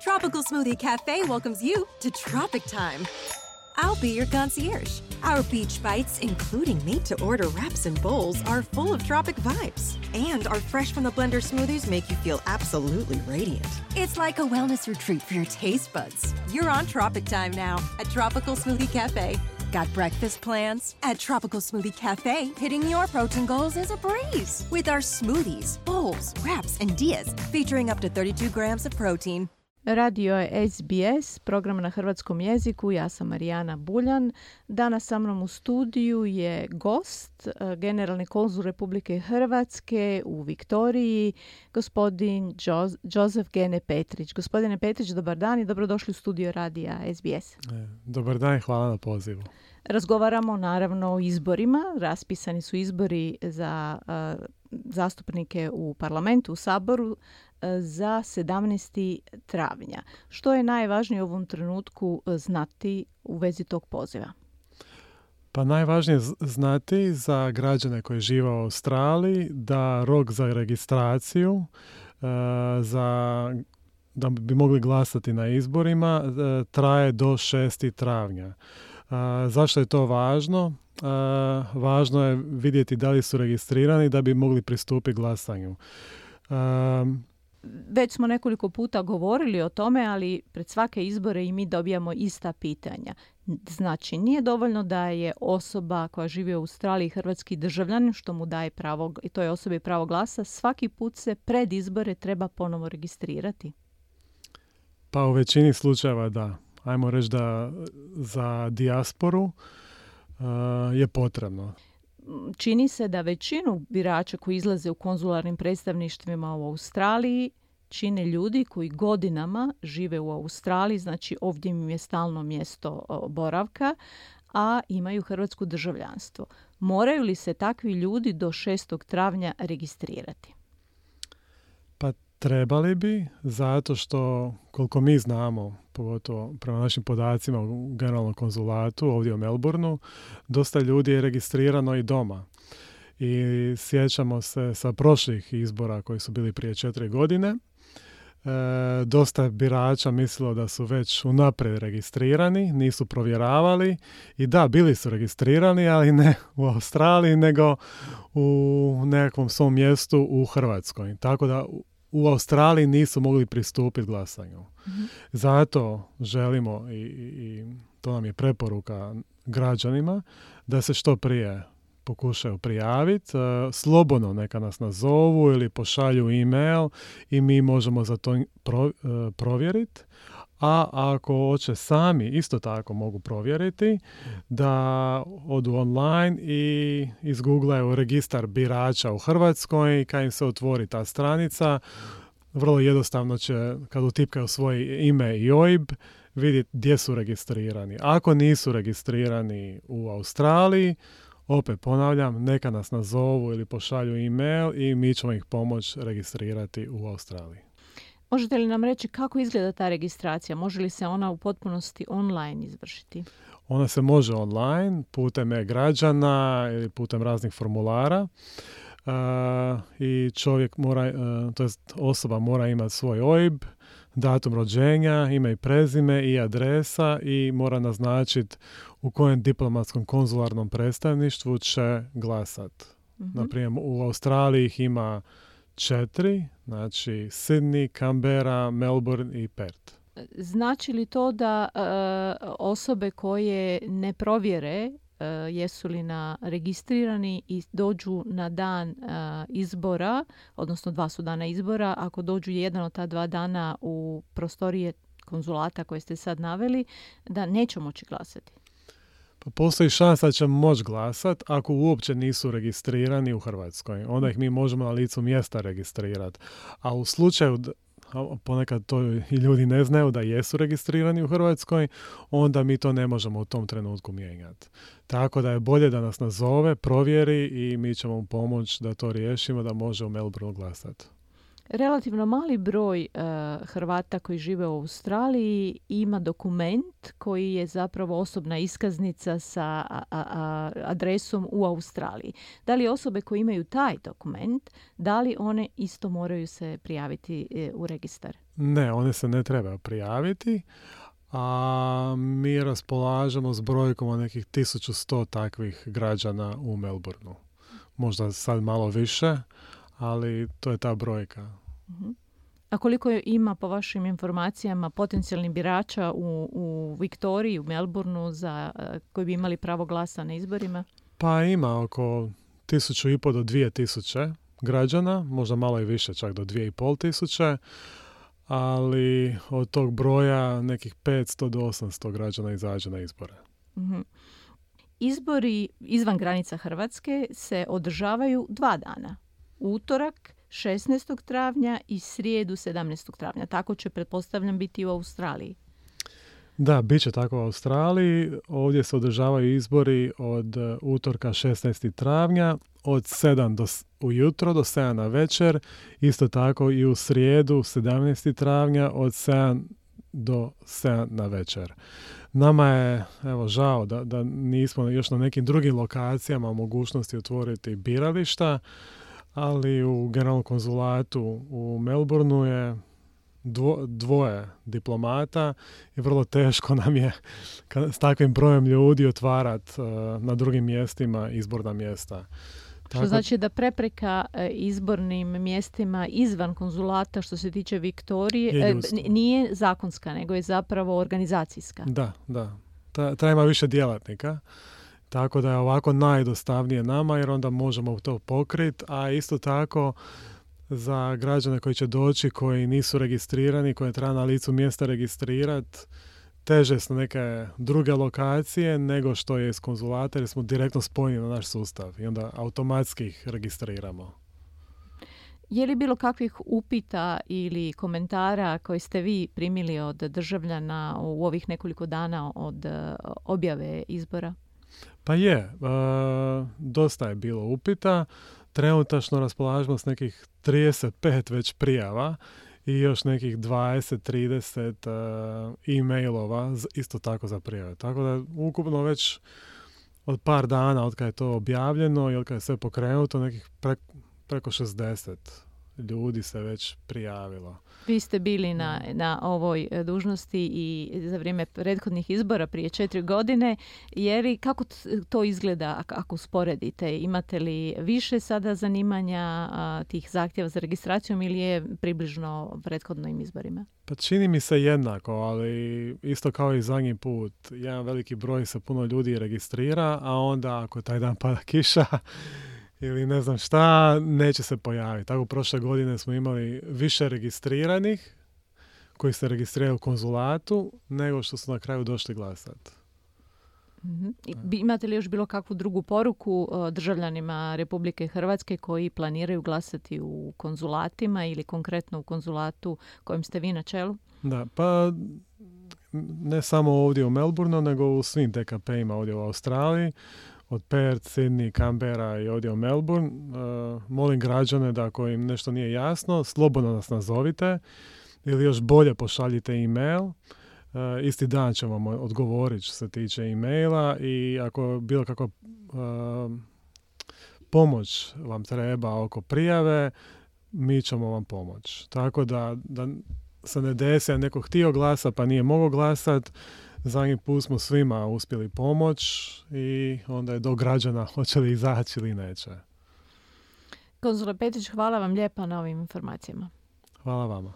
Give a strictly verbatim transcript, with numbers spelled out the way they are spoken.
Tropical Smoothie Cafe welcomes you to Tropic Time. I'll be your concierge. Our beach bites, including made-to-order wraps and bowls, are full of tropic vibes. And our fresh-from-the-blender smoothies make you feel absolutely radiant. It's like a wellness retreat for your taste buds. You're on Tropic Time now at Tropical Smoothie Cafe. Got breakfast plans? At Tropical Smoothie Cafe, hitting your protein goals is a breeze. With our smoothies, bowls, wraps, and dias featuring up to thirty-two grams of protein. Radio je S B S, program na hrvatskom jeziku. Ja sam Marijana Buljan. Danas sa mnom u studiju je gost, generalni konzul Republike Hrvatske u Viktoriji, gospodin Joseph Gene Petrić. Gospodine Petrić, dobar dan i dobrodošli u studio radija S B S. Dobar dan i hvala na pozivu. Razgovaramo naravno o izborima. Raspisani su izbori za uh, zastupnike u parlamentu, u Saboru uh, za sedamnaestog travnja. Što je najvažnije u ovom trenutku znati u vezi tog poziva? Pa najvažnije znati za građane koji žive u Australiji da rok za registraciju uh, za da bi mogli glasati na izborima uh, traje do šestog travnja. Uh, zašto je to važno? Uh, važno je vidjeti da li su registrirani da bi mogli pristupiti glasanju. Uh, Već smo nekoliko puta govorili o tome, ali pred svake izbore i mi dobijamo ista pitanja. Znači, nije dovoljno da je osoba koja živi u Australiji hrvatski državljanin, što mu daje pravo, i to je osobi pravo glasa, svaki put se pred izbore treba ponovo registrirati. Pa u većini slučajeva da. Ajmo reći da za dijasporu uh, je potrebno. Čini se da većinu birača koji izlaze u konzularnim predstavništvima u Australiji čine ljudi koji godinama žive u Australiji, znači ovdje im je stalno mjesto boravka, a imaju hrvatsko državljanstvo. Moraju li se takvi ljudi do šestog travnja registrirati? Pa trebali bi, zato što koliko mi znamo, pogotovo prema našim podacima u generalnom konzulatu ovdje u Melbourneu, dosta ljudi je registrirano i doma. I sjećamo se sa prošlih izbora koji su bili prije četiri godine. E, dosta birača mislilo da su već unaprijed registrirani, nisu provjeravali i da, bili su registrirani, ali ne u Australiji, nego u nekakvom svom mjestu u Hrvatskoj. Tako da u Australiji nisu mogli pristupiti glasanju. Mm-hmm. Zato želimo i, i to nam je preporuka građanima da se što prije pokušaju prijaviti. Uh, slobodno neka nas nazovu ili pošalju e-mail i mi možemo za to pro, uh, provjeriti. A ako hoće sami, isto tako mogu provjeriti da odu online i izgooglaju registar birača u Hrvatskoj i kad im se otvori ta stranica, vrlo jednostavno će, kad utipkaju svoje ime i O I B, vidjeti gdje su registrirani. Ako nisu registrirani u Australiji, opet ponavljam, neka nas nazovu ili pošalju e-mail i mi ćemo ih pomoći registrirati u Australiji. Možete li nam reći kako izgleda ta registracija? Može li se ona u potpunosti online izvršiti? Ona se može online, putem e-građana ili putem raznih formulara. Uh, i čovjek mora, uh, to jest osoba mora imati svoj O I B, datum rođenja, ime i prezime i adresa i mora naznačiti u kojem diplomatskom konzularnom predstavništvu će glasat. Mm-hmm. Naprimjer, u Australiji ih ima četiri, znači Sydney, Canberra, Melbourne i Perth. Znači li to da uh, osobe koje ne provjere uh, jesu li na registrirani i dođu na dan uh, izbora, odnosno dva su dana izbora, ako dođu jedan od ta dva dana u prostorije konzulata koje ste sad naveli, da neće moći glasati? Pa postoji šansa da će moći glasat ako uopće nisu registrirani u Hrvatskoj. Onda ih mi možemo na licu mjesta registrirati. A u slučaju, ponekad to i ljudi ne znaju da jesu registrirani u Hrvatskoj, onda mi to ne možemo u tom trenutku mijenjati. Tako da je bolje da nas nazove, provjeri i mi ćemo mu pomoći da to riješimo, da može u Melbourneu glasati. Relativno mali broj uh, Hrvata koji žive u Australiji ima dokument koji je zapravo osobna iskaznica sa a, a, adresom u Australiji. Da li osobe koje imaju taj dokument, da li one isto moraju se prijaviti uh, u registar? Ne, one se ne treba prijaviti, a mi raspolažemo s brojkom od nekih tisuću sto takvih građana u Melbourneu. Možda sad malo više, ali to je ta brojka. Uh-huh. A koliko ima, po vašim informacijama, potencijalnih birača u, u Viktoriji, u Melbourneu, za, koji bi imali pravo glasa na izborima? Pa ima oko tisuću i pol do dvije tisuće građana, možda malo i više, čak do dvije i pol tisuće, ali od tog broja nekih petsto do osamsto građana izađe na izbore. Uh-huh. Izbori izvan granica Hrvatske se održavaju dva dana. Utorak šesnaestog travnja i srijedu sedamnaestog travnja. Tako će, pretpostavljam, biti i u Australiji. Da, bit će tako u Australiji. Ovdje se održavaju izbori od utorka šesnaestog travnja od sedam do, ujutro do sedam na večer. Isto tako i u srijedu sedamnaestog travnja od sedam do sedam na večer. Nama je, evo, žao da, da nismo još na nekim drugim lokacijama u mogućnosti otvoriti birališta, ali u generalnom konzulatu u Melbourneu je dvo, dvoje diplomata i vrlo teško nam je s takvim brojem ljudi otvarati uh, na drugim mjestima izborna mjesta. Što Tako... znači da prepreka e, izbornim mjestima izvan konzulata što se tiče Viktorije e, nije zakonska, nego je zapravo organizacijska. Da, da. Ta, ta ima više djelatnika. Tako da je ovako najdostavnije nama jer onda možemo to pokriti, a isto tako za građane koji će doći, koji nisu registrirani, koje treba na licu mjesta registrirati, teže su neke druge lokacije nego što je iz konzulata jer smo direktno spojeni na naš sustav i onda automatski ih registriramo. Je li bilo kakvih upita ili komentara koje ste vi primili od državljana u ovih nekoliko dana od objave izbora? Pa je, e, dosta je bilo upita. Trenutačno raspolažemo s nekih trideset pet već prijava i još nekih dvadeset trideset uh, e-mailova isto tako za prijave. Tako da ukupno već od par dana od kada je to objavljeno i od kada je sve pokrenuto, nekih pre, preko šezdeset ljudi se već prijavilo. Vi ste bili na, na ovoj dužnosti i za vrijeme prethodnih izbora prije četiri godine. Je li, kako to izgleda ako usporedite? Imate li više sada zanimanja a, tih zahtjeva za registracijom ili je približno prethodnim izborima? Pa čini mi se jednako, ali isto kao i zadnji put. Jedan veliki broj se puno ljudi registrira, a onda ako taj dan pada kiša ili ne znam šta, neće se pojaviti. Tako prošle godine smo imali više registriranih koji se registriraju u konzulatu nego što su na kraju došli glasati. Mm-hmm. Imate li još bilo kakvu drugu poruku državljanima Republike Hrvatske koji planiraju glasati u konzulatima ili konkretno u konzulatu kojem ste vi na čelu? Da, pa ne samo ovdje u Melbourneu, nego u svim T K P-ima ovdje u Australiji. Od Perth, Sydney, Canberra i ovdje u Melbourne. Uh, molim građane da ako im nešto nije jasno, slobodno nas nazovite ili još bolje pošaljite e-mail. Uh, isti dan ćemo vam odgovoriti što se tiče e-maila i ako bilo kakva uh, pomoć vam treba oko prijave, mi ćemo vam pomoći. Tako da, da se ne desi, a neko htio glasa pa nije mogao glasati, zadnji put smo svima uspjeli pomoć i onda je do građana hoće li izaći ili neće. Konzule Petrić, hvala vam lijepa na ovim informacijama. Hvala vama.